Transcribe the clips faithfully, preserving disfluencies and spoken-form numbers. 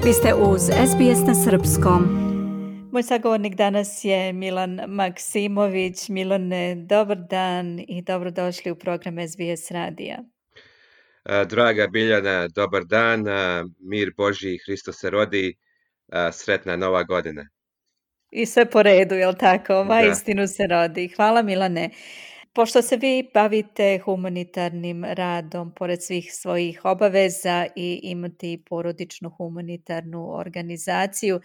Vi ste uz S B S na srpskom. Moj sagovornik danas je Milan Maksimović. Milane, dobar dan i dobrodošli u program S B S radija. Draga Biljana, dobar dan, mir Božji, Hristos se rodi, sretna nova godina. I sve po redu, jel tako? Ova Da. istinu se rodi. Hvala Milane. Pošto se vi bavite humanitarnim radom, pored svih svojih obaveza i imate i porodičnu humanitarnu organizaciju,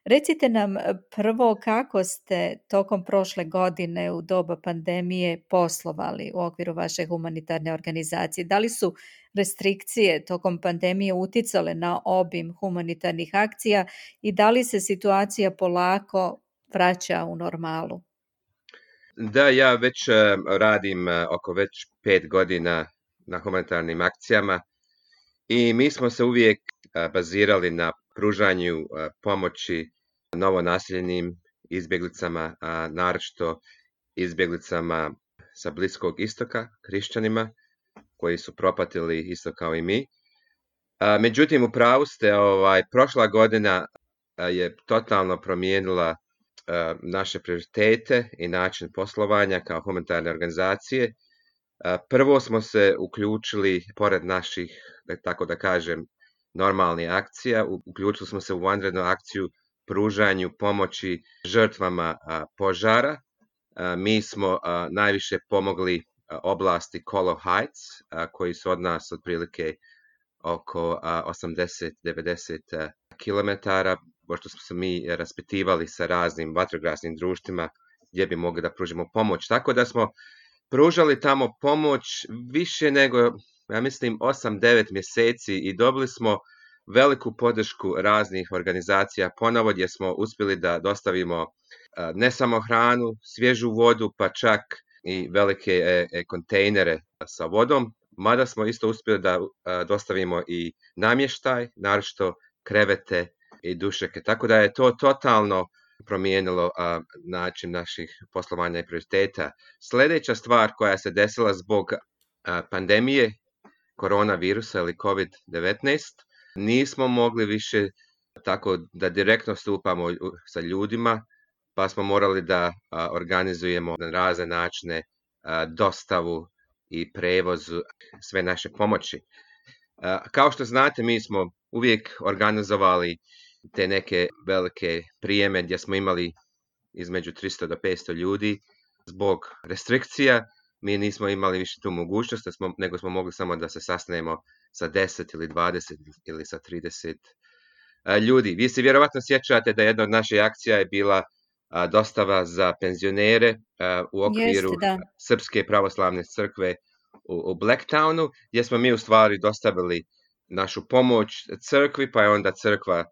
recite nam prvo kako ste tokom prošle godine u doba pandemije poslovali u okviru vaše humanitarne organizacije. Da li su restrikcije tokom pandemije uticale na obim humanitarnih akcija i da li se situacija polako vraća u normalu? Da, ja već radim oko već pet godina na humanitarnim akcijama i mi smo se uvijek bazirali na pružanju pomoći novonaseljenim izbjeglicama, a naročito izbjeglicama sa Bliskog istoka, hrišćanima koji su propatili isto kao i mi. Međutim, u pravu ste, ovaj, prošla godina je totalno promijenila naše prioritete i način poslovanja kao humanitarne organizacije. Prvo smo se uključili, pored naših, tako da kažem, normalnih akcija, uključili smo se u vanrednu akciju pružanju pomoći žrtvama požara. Mi smo najviše pomogli oblasti Colo Heights, koji su od nas otprilike oko osamdeset do devedeset kilometara, pošto smo se mi raspitivali sa raznim vatrogasnim društvima gdje bi mogli da pružimo pomoć. Tako da smo pružali tamo pomoć više nego, ja mislim, osam do devet mjeseci i dobili smo veliku podršku raznih organizacija ponovo gdje smo uspjeli da dostavimo ne samo hranu, svježu vodu, pa čak i velike kontejnere sa vodom, mada smo isto uspjeli da dostavimo i namještaj, naročito krevete i dušeke. Tako da je to totalno promijenilo a, način naših poslovanja i prioriteta. Sljedeća stvar koja se desila zbog a, pandemije koronavirusa ili kovid devetnaest, nismo mogli više tako da direktno stupamo sa ljudima, pa smo morali da a, organizujemo na razne načine a, dostavu i prevoz sve naše pomoći. A, kao što znate, mi smo uvijek organizovali te neke velike prijeme gdje smo imali između tristo do petsto ljudi. Zbog restrikcija mi nismo imali više tu mogućnost, nego smo mogli samo da se sastanemo sa deset ili dvadeset ili sa trideset ljudi. Vi se vjerovatno sjećate da jedna od naših akcija je bila dostava za penzionere u okviru Jeste, Srpske pravoslavne crkve u Blacktownu, gdje smo mi u stvari dostavili našu pomoć crkvi, pa je onda crkva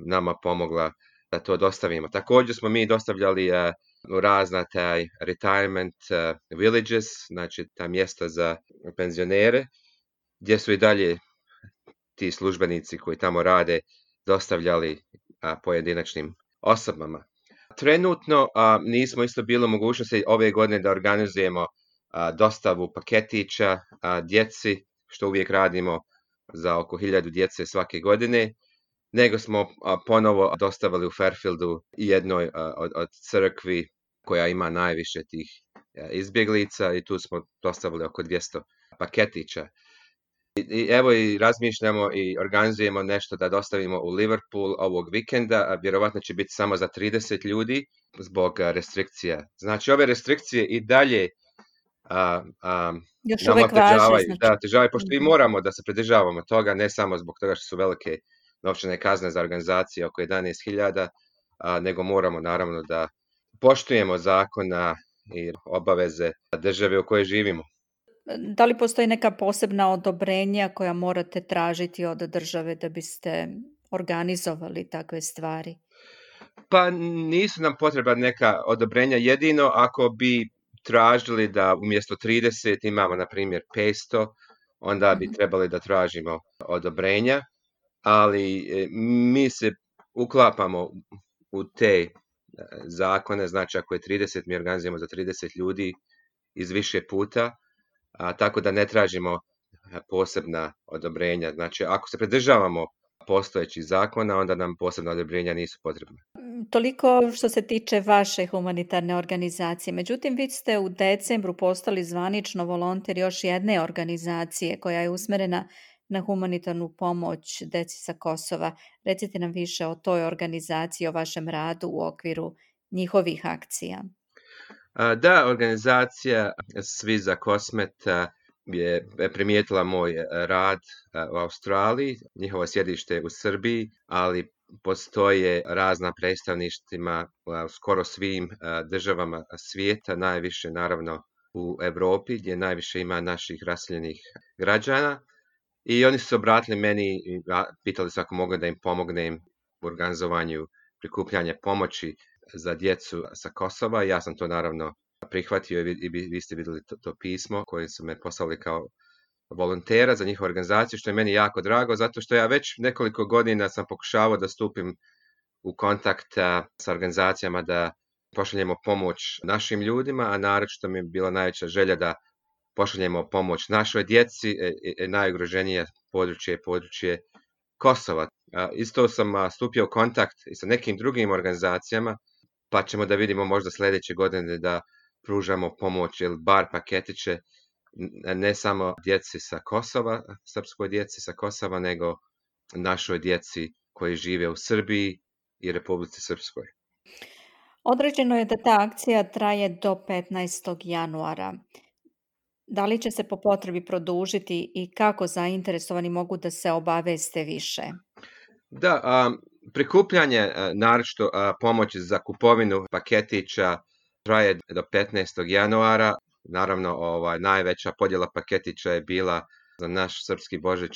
nama pomogla da to dostavimo. Također smo mi dostavljali uh, u razna taj retirement uh, villages, znači ta mjesta za penzionere, gdje su i dalje ti službenici koji tamo rade dostavljali uh, pojedinačnim osobama. Trenutno uh, nismo isto bilo mogućnosti ove godine da organizujemo uh, dostavu paketića uh, djeci, što uvijek radimo za oko hiljadu djece svake godine, nego smo a, ponovo dostavili u Fairfieldu jednoj a, od, od crkvi koja ima najviše tih a, izbjeglica i tu smo dostavili oko dvjesto paketića. I, i evo i razmišljamo i organizujemo nešto da dostavimo u Liverpool ovog vikenda, a vjerovatno će biti samo za trideset ljudi zbog a, restrikcija. Znači ove restrikcije i dalje a, a, još nama uvek važe, težavaju, znači. da, težavaju, pošto mi moramo da se pridržavamo toga, ne samo zbog toga što su velike novčane kazne za organizacije oko jedanaest hiljada, nego moramo naravno da poštujemo zakona i obaveze države u kojoj živimo. Da li postoji neka posebna odobrenja koja morate tražiti od države da biste organizovali takve stvari? Pa nisu nam potrebna neka odobrenja, jedino ako bi tražili da umjesto trideset imamo na primjer petsto, onda bi trebali da tražimo odobrenja, ali mi se uklapamo u te zakone, znači ako je trideset, mi organizujemo za trideset ljudi iz više puta, a, tako da ne tražimo posebna odobrenja. Znači ako se pridržavamo postojećih zakona, onda nam posebna odobrenja nisu potrebna. Toliko što se tiče vaše humanitarne organizacije. Međutim, vi ste u decembru postali zvanično volonter još jedne organizacije koja je usmerena na humanitarnu pomoć deci sa Kosova. Recite nam više o toj organizaciji, o vašem radu u okviru njihovih akcija. Da, organizacija Svi za Kosmet je primijetila moj rad u Australiji. Njihovo sjedište je u Srbiji, ali postoje razna predstavništvima u skoro svim državama svijeta, najviše naravno u Europi gdje najviše ima naših raseljenih građana. I oni su se obratili meni i pitali su ako mogu da im pomognem u organizovanju prikupljanja pomoći za djecu sa Kosova. Ja sam to naravno prihvatio i vi, vi ste vidjeli to, to pismo koje su me poslali kao volontera za njihovu organizaciju, što je meni jako drago, zato što ja već nekoliko godina sam pokušavao da stupim u kontakt sa organizacijama da pošaljemo pomoć našim ljudima, a naročito mi je bila najveća želja da pošaljemo pomoć našoj djeci, najugroženije područje je područje Kosova. Isto sam stupio u kontakt i sa nekim drugim organizacijama, pa ćemo da vidimo možda sljedeće godine da pružamo pomoć ili bar paketiće ne samo djeci sa Kosova, srpskoj djeci sa Kosova, nego našoj djeci koji žive u Srbiji i Republici Srpskoj. Određeno je da ta akcija traje do petnaestog januara. Da li će se po potrebi produžiti i kako zainteresovani mogu da se obaveste više? Da, a, prikupljanje naročito a, pomoći za kupovinu paketića traje do petnaestog januara. Naravno, ovaj, najveća podjela paketića je bila za naš srpski Božić,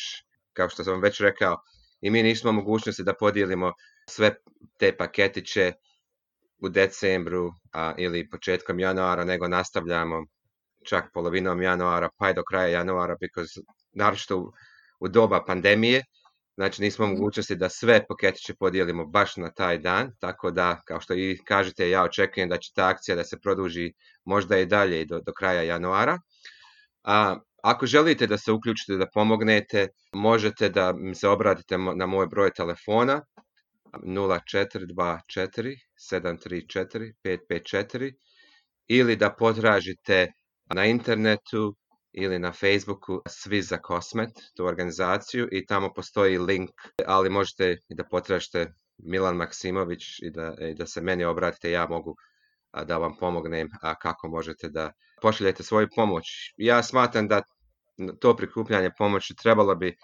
kao što sam već rekao, i mi nismo mogućnosti da podijelimo sve te paketiće u decembru a, ili početkom januara, nego nastavljamo čak polovinom januara pa i do kraja januara, because, naročito u, u doba pandemije, znači nismo mogućnosti da sve paketiće podijelimo baš na taj dan, tako da, kao što i kažete, ja očekujem da će ta akcija da se produži možda i dalje do, do kraja januara. A, ako želite da se uključite, da pomognete, možete da mi se obratite na moj broj telefona nula četiri dva četiri sedam tri četiri pet pet četiri ili da potražite na internetu ili na Facebooku Svi za Kosmet, tu organizaciju, i tamo postoji link, ali možete i da potražite Milan Maksimović i da, i da se meni obratite, ja mogu a, da vam pomognem a kako možete da pošaljete svoju pomoć. Ja smatram da to prikupljanje pomoći trebalo bi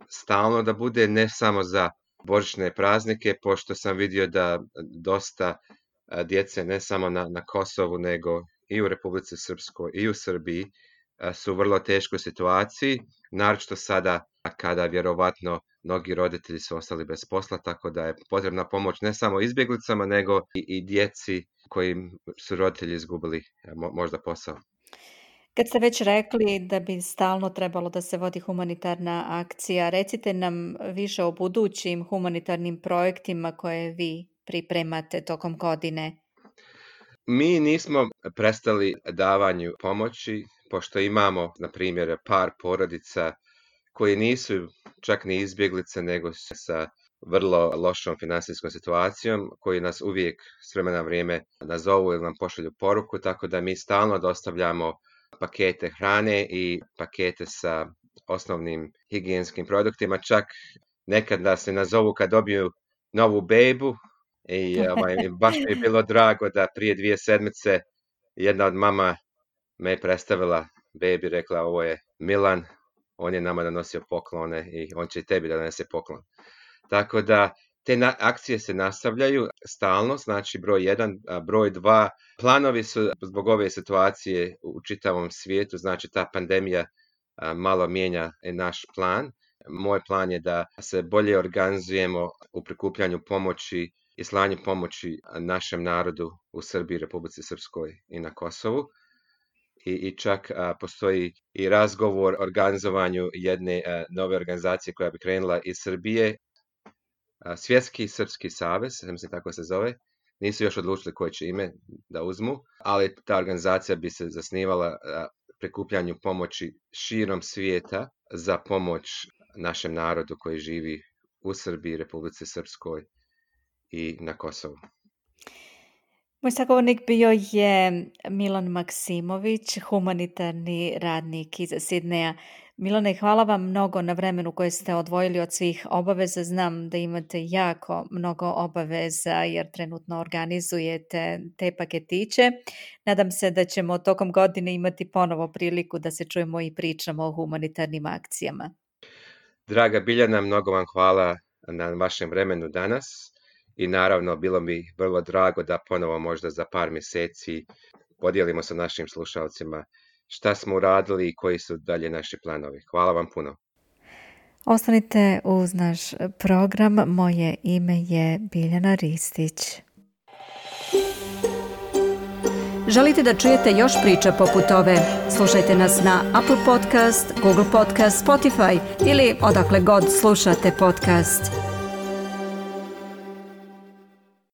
stalno da bude, ne samo za božićne praznike, pošto sam vidio da dosta a, djece ne samo na, na Kosovu, nego i u Republici Srpskoj i u Srbiji su u vrlo teškoj situaciji, naročito sada kada vjerovatno mnogi roditelji su ostali bez posla, tako da je potrebna pomoć ne samo izbjeglicama, nego i, i djeci koji su roditelji izgubili možda posao. Kad ste već rekli da bi stalno trebalo da se vodi humanitarna akcija, recite nam više o budućim humanitarnim projektima koje vi pripremate tokom godine. Mi nismo prestali davanju pomoći, pošto imamo, na primjer, par porodica koji nisu čak ni izbjeglice, nego su sa vrlo lošom finansijskom situacijom, koji nas uvijek s vremena na vrijeme nazovu ili nam pošalju poruku, tako da mi stalno dostavljamo pakete hrane i pakete sa osnovnim higijenskim produktima, čak nekad nas se nazovu kad dobiju novu bebu. I ovaj, baš mi je bilo drago da prije dvije sedmice jedna od mama me je predstavila bebi, rekla ovo je Milan, on je nama donosio poklone i on će i tebi da donese poklon. Tako da te na, akcije se nastavljaju stalno, znači broj jedan, a broj dva, planovi su zbog ove situacije u čitavom svijetu, znači ta pandemija a, malo mijenja naš plan. Moj plan je da se bolje organizujemo u prikupljanju pomoći i slanju pomoći našem narodu u Srbiji, Republici Srpskoj i na Kosovu. I, i čak a, postoji i razgovor o organizovanju jedne a, nove organizacije koja bi krenula iz Srbije, a, Svjetski srpski savez, mislim tako se zove. Nisu još odlučili koje će ime da uzmu, ali ta organizacija bi se zasnivala a, prikupljanju pomoći širom svijeta za pomoć našem narodu koji živi u Srbiji, Republici Srpskoj i na Kosovu. Moj sagovornik bio je Milan Maksimović, humanitarni radnik iz Sidneja. Milane, hvala vam mnogo na vremenu koje ste odvojili od svih obaveza. Znam da imate jako mnogo obaveza jer trenutno organizujete te paketiće. Nadam se da ćemo tokom godine imati ponovo priliku da se čujemo i pričamo o humanitarnim akcijama. Draga Biljana, mnogo vam hvala na vašem vremenu danas i naravno bilo mi vrlo drago da ponovo možda za par mjeseci podijelimo sa našim slušalcima šta smo uradili i koji su dalje naši planovi. Hvala vam puno. Ostanite uz naš program. Moje ime je Biljana Ristić. Želite da čujete još priča poput ove? Slušajte nas na Apple Podcast, Google Podcast, Spotify ili odakle god slušate podcast.